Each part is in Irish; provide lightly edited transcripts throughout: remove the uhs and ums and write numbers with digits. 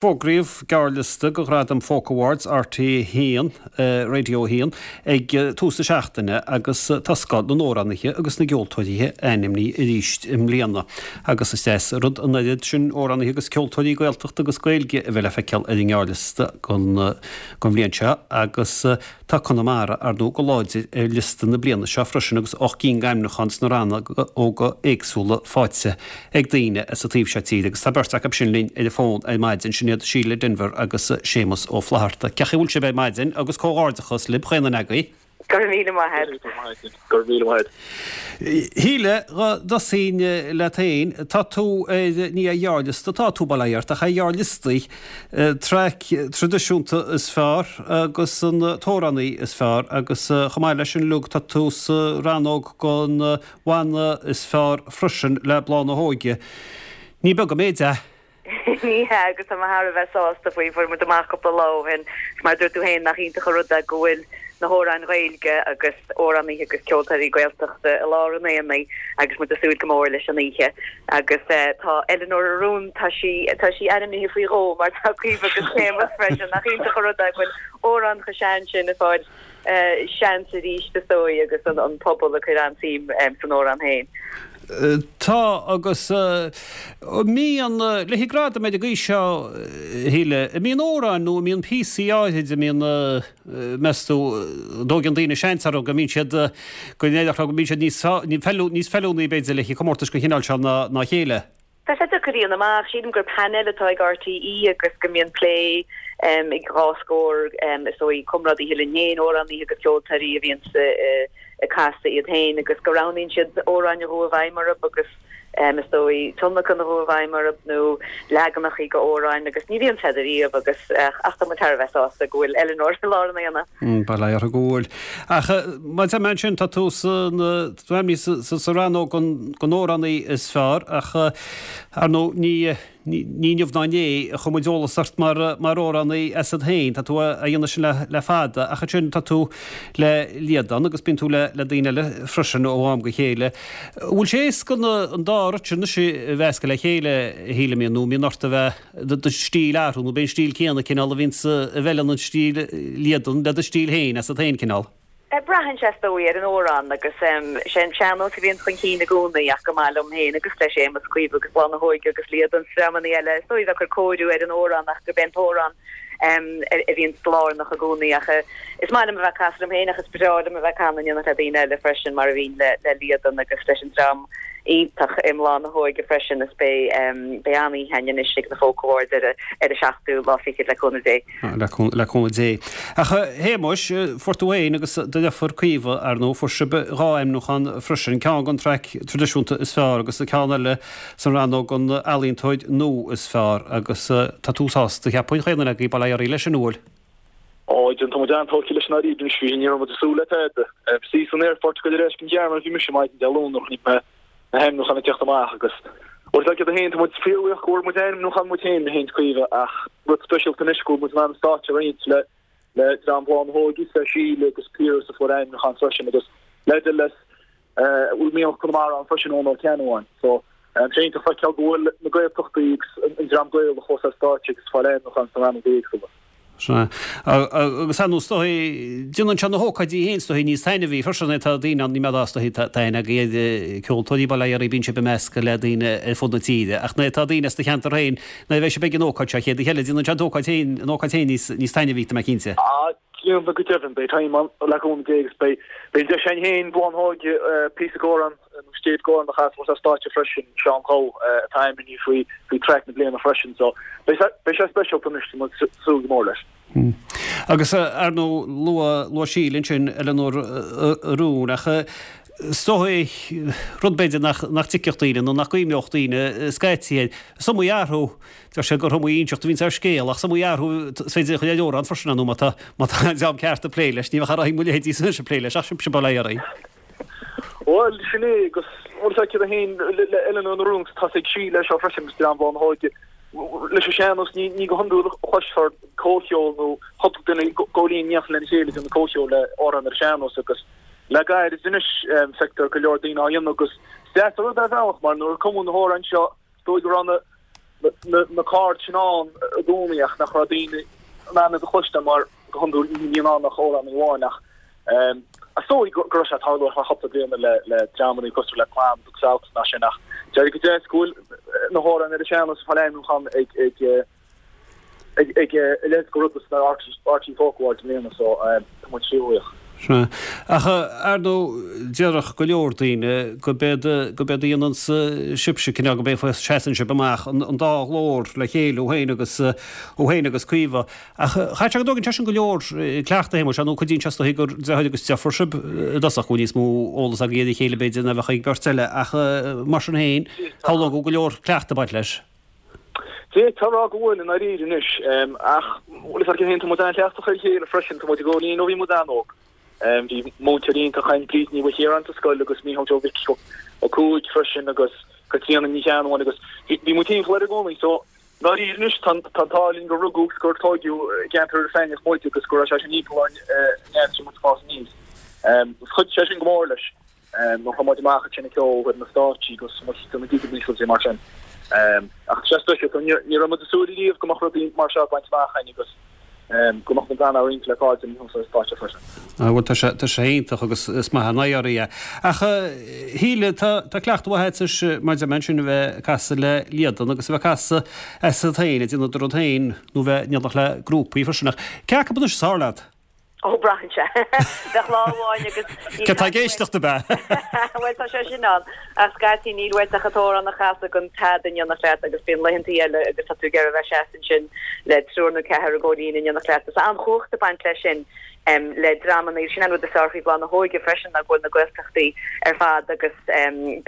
Fógraíodh gearrliosta do Ghradaim Folk Awards RTÉ 1, Radio 1, ag tús na seachtaine agus tá scoth na n-amhránaithe agus na gceoltóirí ainmnithe arís i mbliana. Agus is deas an rud an oiread sin amhránaithe agus ceoltóirí Gaeltachta agus Gaeilge a bheith le feiceáil ar an ngearrliosta don bhliain seo agus Tá Conamara, ar ndóigh, go láidir ar liosta na bliana seo freisin agus 8 gcinn d'ainmniúcháin sna rannóga éagsúla faighte ag daoine as an taobh seo tíre agus tá beirt acu sin linn ar an bhfón ar maidin, sin iad Síle Denvir agus Séamus Ó Flatharta. Cén chaoi a bhfuil sibh ar maidin agus comhghairdeachas libh, chaon duine agaibh. Go raibh míle maith a't. Go raibh maith a't. Go raibh míle maith a't. Shíle, dhá dtosóinn leat féin, tá tú ar, ní ar ghearrliosta atá tú, bail ó Dhia ort, ach ar ghearrliostaí. Traic traidisiúnta is fearr agus an t-amhránaí is fearr agus chomh maith leis sin uilig tá tú sa rannóg don bhanna is fearr freisin le Bláth na hÓige. Ní beag an méid é. Ní hea agus tá mé thar a bheith sásta faoi. Fuair muid amach cúpla lá ó shin, mar a dúirt tú féin, nach iontach an rud é go bhfuil na hamhráin Ghaeilge agus amhránaithe agus ceoltóirí Gaeltachta i lár an aonaigh agus muid ag súil go mór leis an oíche. Agus tá Eileanóir Arún, tá sí, tá sí ainmnithe faoi dhó mar tá Caoimhe agus Séamus freisin. Nach iontach an rud é go bhfuil amhráin chomh sean sin ag fáil seans arís is dóigh agus an pobal ag cur an-suim san amhrán féin. Tá agus mbíonn, le haghaidh gradam ar an gcaoi seo, a Shíle, an mbíonn amhráin nó an mbíonn píosaí áithrid a mbíonn, meas tú, an dtóigeann daoine seans orthu go mbíonn siad, go ndéarfá go mbíonn siad níos, níos feiliúnaí b'fhéidir le haghaidh comórtais den chineál seo ná a chéile? Tá sé deacair a dhéanamh amach. Sílim gur painéal atá ag RTÉ agus go mbíonn plé ag dhá scór, is dóigh, comrádaithe linn féin, amhránaithe agus ceoltóirí a bhíonns ag casadh iad féin agus go roghnaíonn siad amhráin a chuaigh i bhfeidhm orthu agus is dóigh tionlacan a chuaigh i bhfeidhm orthu nó leaganachaí de amhráin agus ní bhíonn siad ariamh agus ach tá muid thar a bheith sásta go bhfuil Eileanóir i lár an aonaigh. Bail ó Dhia uirthi go bhfuil. Ach mar a deir mé ansin, tá tú san, tá tú ainmnithe sa rannóg don amhránaí is fearr ach ar ndóigh ní, ní inniu ná inné a chuir muid eolas ort mar amhránaí asat féin. Tá tú á dhéanamh sin le fada ach ansin tá tú le Liadán agus bíonn tú le daoine eile freisin ó am go chéile. An bhfuil sé éasca an dá rud sin anois a mheascadh le chéile, a Shíle, an mbíonn, nó an mbíonn ort a bheith do stíl a athrú nó b'é an stíl céanna cineál a bhíonns a bhfeileann an stíl Liadan le do stíl féin asat féin cineál. Braitheann sé is dóigh ar an amhrán agus sé an sean-nós a bhíonn chun cinn i gcónaí ach go maith liom féin agus le Séamus, Caoimhe agus Bláth na hÓige agus Liadan is dreamannaí eile is dóigh bheith ag cur cóiriú ar an amhrán ach gurb é an t-amhrán a bhíonn lárnach i gcónaí ach is maith liom a bheith ag casadh liom féin ach is breá liom a bheith ag canadh in éineacht le daoine eile freisin mar a bhíonn le Liadan agus leis an dream iontach i mBláth na hÓige freisin is beidh beidh an-oíche againn anois ag na Folk Awards ar ar an seachtú lá fichead le cúnamh Dé. Le cúnamh Dé. Ach a Shéamuis, fuair tú fhéin agus do dheirfiúr Caoimhe, ar ndóigh, fuair sibh dhá ainmniúchán freisin, ceann don traic traidisiúnta is fearr agus an ceann eile san rannóg don ealaíontóir nua is fearr agus tá tú sásta, cheapfainn, chaon duine agaibh, bail ó Dhia oraibh leis sin, an bhfuil? Ó, tá muid an-tógtha leis an dáiríre anois, bhí, ní raibh muid ag súil le tada. Bhí san aerfort ag dul ar ais go Gearmáin a bhí mise maidin Dé Luain nuair a chonaic mé na hainmniúcháin ag teacht amach agus bhuel tá siad féin, tá muid fíorbhuíoch go bhfuair muid ainmniúchán muid féin, mé féin is Caoimhe, ach rud speisialta anois go bhfuil muid in ann an stáitse a roinnt le le dream Bhláth na hÓige, le Síle agus Piaras a fuair ainmniúchán freisin agus le le bhfuil mianach Conamara ann freisin Eoin Ó Ceannabháin. So, tá sé iontach feiceáil go bhfuil na Gaeltachtaí agus an dream Gaelach fós ar stáitse agus ag fáil ainmniúchán sna rannóga éagsúla. Sea. Agus ar ndóigh, is dóigh, déanann sé na hócáidí féin is dóigh níos taitneamhaí freisin é tá daoine ann, ní mbeadh is dóigh, tá aithne agaibh ar ceoltóirí bail ó Dhia oraibh, bíonn sibh ag meascadh le daoine ar fud na tíre ach nuair atá daoine as do cheantar féin, nuair a bheidh sibh ag an ócáid seo chéad oíche eile, déanann sé an t-ócáid féin, an ócáid féin níos, níos taitneamhaí, tá mé cinnte. Déanann go deimhin, beidh time ann le cúnamh Dé agus beidh an deis againn féin Bláth na hÓige píosa d'amhrán nó stéip d'amhrán a chasadh ar stáitse freisin, Seán Dubh atá ainmnithe faoi faoi traic na bliana freisin so beidh beidh sé speisialta anois tá muid ag súil go mór leis. Agus ar ndóigh luadh luadh Síle ansin Eileanóir Rún ach is dóigh rud b'fhéidir nach nach dtuigfeadh daoine nó nach gcuimhneodh daoine scaití air, is iomaí athrú Deir sé gur iomaí inseacht a bhíonns ar scéal, ach is iomaí athrú is féidir a chur ar amhrán freisin, ar ndóigh, má tá, má tá an dream ceart ag plé leis. Ní bheadh ar aghaidh mo leithéidí anois ag plé leis, ach sibhse bail ó Dhia oraibh. Bhuel, sin é, agus bhuel, tá siad féin le Eileanóir na Rún, tá ag Síle seo freisin agus dream Bhláth na hÓige. Leis an sean-nós, ní, ní go hiondúil a chloisfear comhcheol nó cúpla duine ag gabháil fhoinn in éineacht lena chéile ag déanamh comhcheol le amhrán ar an sean-nós agus le gairid anois feictear go leor daoine á dhéanamh agus is deas an rud é ar bhealach mar nuair a cumadh na hamhráin seo, is dóigh go raibh na. na cairde sin ann i gcónaí ach nach raibh daoine in ann iad a chloisteáil mar go hiondúil ní bhíonn ann ach amhránaí amháin ach is dóigh go raibh sé ag tarlú ar feadh cúpla bliana le le dreamanna cosúil le Clann agus South ná sin ach deir go deas go bhfuil na hamhráin ar an sean-nós ag fáil ainmniúchán ag ag ag ag a leithéid de rud sna RTÉ Folk Awards i mbliana so tá muid fíorbhuíoch. Sea. Ach, ar ndóigh, déarfadh go leor daoine gurb éard, gurb éard a dhéanann sibhse, cineál, gurb é an fáth a seasann sibh amach, an dá ghlór le chéile, thú féin agus, thú féin agus Caoimhe. Ach chaithfidh sé go dtógann sé sin go leor cleachtaidh, a Shéamuis, nó cuidíonn sé is dóichí gur deartháir agus deirfiúr sibh i dtosach, go bhfuil níos mó eolas agaibh ar a chéile b'fhéidir ná bheadh ag beirt eile, ach mar sin féin, shamhlóinn go bhfuil go leor cleachtaidh ag baint leis. D'fhéadfá a rá go bhfuil, i ndáiríre anois, ach bhfuil fhios agat féin, tá muid an-chleachtach ar a chéile freisin, tá muid i gcónaí ó bhí muid an-óg. Bhí múinteoirí iontach againn, Bríd Ní Mhaoilchiaráin sa scoil agus Mícheál Joe Mhic Ó Cuaig freisin agus Caitríona Ní Cheannabháin agus bhí muid timpeall air i gcónaí. So, i ndáiríre anois, tá an t-ádh linn gur rugadh agus gur tóigeadh i gceantar Iorras Aithneach muid agus go raibh sé sin timpeall orainn an fhad is a bhí muid ag fás aníos. Agus chuidigh sé sin go mór leis. Nuair a chuaigh muid amach ansin ag ceol ar na stáitsí agus muid ag déanamh gigeanna agus rudaí mar sin. Ach tá sé speisialta, ní raibh muid ag súil riamh go mbeadh rudaí mar seo bainte amach againn agus go mbeadh muid in ann a roinnt le cairde thuas ar an stáitse freisin. Á bhuel tá sé, tá sé iontach agus is maith an oidhre é. Ach a Shíle, tá, tá cleachtadh mhaith agat anois mar a deir mé ansin a bheith ag casadh le Líadan agus a bheith ag casadh asat féin, ag déanamh do rud féin nó bheith in éineacht le grúpaí freisin. Ach cé acu anois is fearr leat? Ó, braitheann sé. Bheadh lá amháin agus níl Cé atá ag éisteacht ab ea? Bhuel, tá sé sin ann. Ach scaití níl uait ach an t-amhrán a chasadh gan tada in éineacht leat agus bíonn laethantaí eile agus tá tú ag iarraidh a bheith seasta ansin le triúr nó ceathrar i gcomhlíne in éineacht leat. Is an-chumhacht ag baint leis sin le dreamanna. Sin an rud is fearr faoi Bhláth na hÓige freisin ná go bhfuil na Gaeltachtaí ar fad agus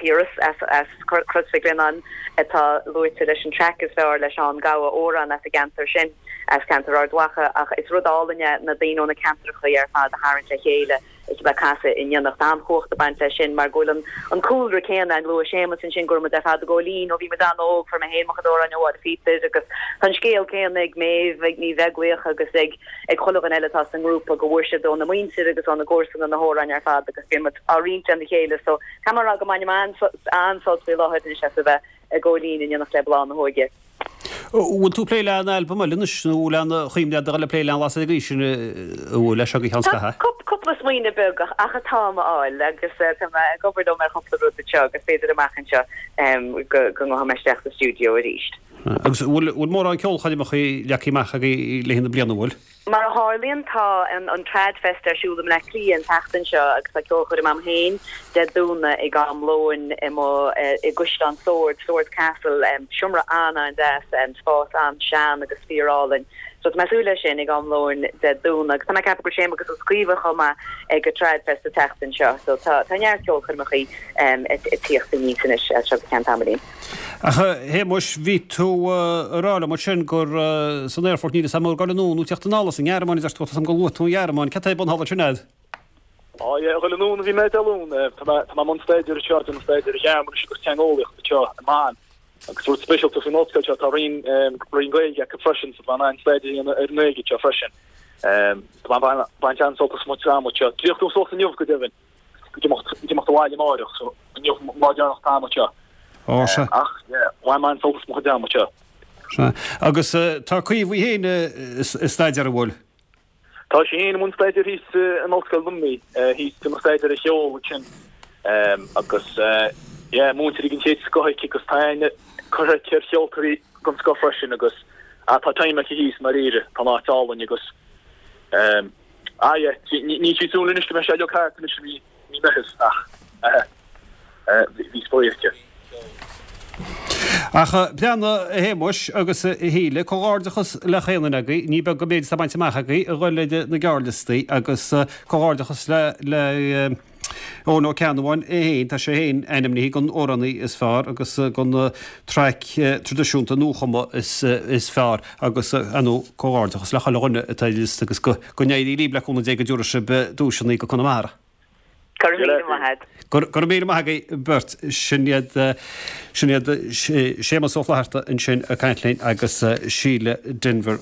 Piaras as as Crois Mhic Lionnáin atá luaite leis an traic is fearr le Seán Gabha, amhrán as an gceantar sin. as ceantar Ard Mhacha ach is rud álainn é na daoine ó na ceantracha ar fad a tharraingt le chéile is a bheith ag casadh in éineacht. An-chumhacht ag baint leis sin mar go bhfuil an an cúlra céanna ann. Luaigh Séamus ansin go raibh muid ar fad i gCóilín ó bhí muid an-óg, fuair mé féin mo chuid amhráin ó Mháire Phíotair agus tá an scéal céanna ag Méabh, ag Ní Bheaglaoich agus ag ag chuile dhuine eile atá sa ngrúpa go bhfuair siad óna muintir agus óna gcomharsana na hamhráin ar fad agus bíonn muid á roinnt lena chéile so caithfidh mé a rá go mbainim an-sult faoi láthair anois as a bheith i gCóilín in éineacht le Bláth na hÓige. Bhfuil tú ag plé le aon albam eile anois nó bhfuil aon chuimhne agat a dhul ag plé le aon lasair ag aois sin a bhfuil leis seo go cheann scaithimh? Tá cúpla smaoineamh beag ach atáim a fháil agus tá mé ag obair liom ar chúpla rud anseo agus b'fhéidir amach anseo go ngabhfaidh mé isteach sa stiúideo arís. Agus bhfuil mórán ceolchoirmeacha leagtha amach agaibh le haghaidh na bliana, bhfuil? Mar a tharlaíonn, tá an Tradfest ar siúl i mBleá Cliath an tseachtain seo agus tá ceolchoirm a'm féin Dé Domhnaigh ag am lóin i mo i gCaisleán Sord, Swords Castle, seomra an-an-deas, spás an-sean agus fíor-álainn. So tá mé ag súil leis sin ag am lóin Dé Domhnaigh agus tá mé ag ceapadh go bhfuil Séamus agus Caoimhe chomh maith ag an Tradfest an tseachtain seo. So tá tá neart ceolchoirmeachaí ag tíocht aníos anois as seo go ceann tamaillín. Ach a Shéamuis, bhí tú ag rá liom ansin gur san aerfort, níl fhios a'm ag dul anonn nó tíocht anall as an nGearmáin, a deir tú, tá 'fhios a'm gur luaigh tú an Ghearmáin, cad tá ar bun thall ansin a'd? Á yeah, ag dul anonn a bhí mé Dé Luain, tá mé, tá mé i mbun staidéir anseo, déanamh staidéir ar Ghearmáinis agus teangeolaíocht anseo i mBonn. Agus rud speisialta faoin ollscoil seo, tá roinn, roinn Gaeilge acu freisin, so tá mé in ann staidéar a dhéanamh ar an nGaeilge anseo freisin. Tá mé ag baint an-sult as mo chuid ama anseo. D'fhéach tú suas inniu go deimhin. ag imeacht abhaile amáireach, so inniu an lá deireanach atá agam anseo. Ó, sea. Ach, yeah, bhain mé an-sult as mo chuid ama anseo. Sea. Agus tá Caoimhe í féin ag staidéar, an bhfuil? Tá sí féin i mbun staidéir thíos in Ollscoil Luimnigh, thíos ag déanamh staidéar ar cheol ansin. Agus, yeah, múinteoirí den chéad scoth aici agus tá aithne curtha aici ar cheoltóirí den scoth freisin agus, ah, tá time aici thíos i ndáiríre, tá an áit álainn agus, Ah yeah, níl sí ag súil anois go mbeidh sé uilig thart anois i mí Meitheamh ach bhí spraoi aici. Ach breathnaigh a Shéamuis agus a Shíle, comhghairdeachas le chaon duine agaibh, ní beag an méid atá bainte amach agaibh a dhul ar na gearrliostaí agus comhghairdeachas le le Eoin Ó Ceannabháin é féin, tá sé féin ainmnithe don amhránaí is fearr agus don traic traidisiúnta nuachumtha is fearr agus, ar ndóigh, comhghairdeachas le chuile dhuine atá ar an liosta agus go n-éirí libh le cúnamh Dé go dtabharfaidh sibh duaiseanna go Conamara. Go raibh míle maith agat. Go raibh míle maith agaibh beirt. Sin iad, sin iad Séamus Ó Flatharta ansin ag caint linn agus Síle Denvir.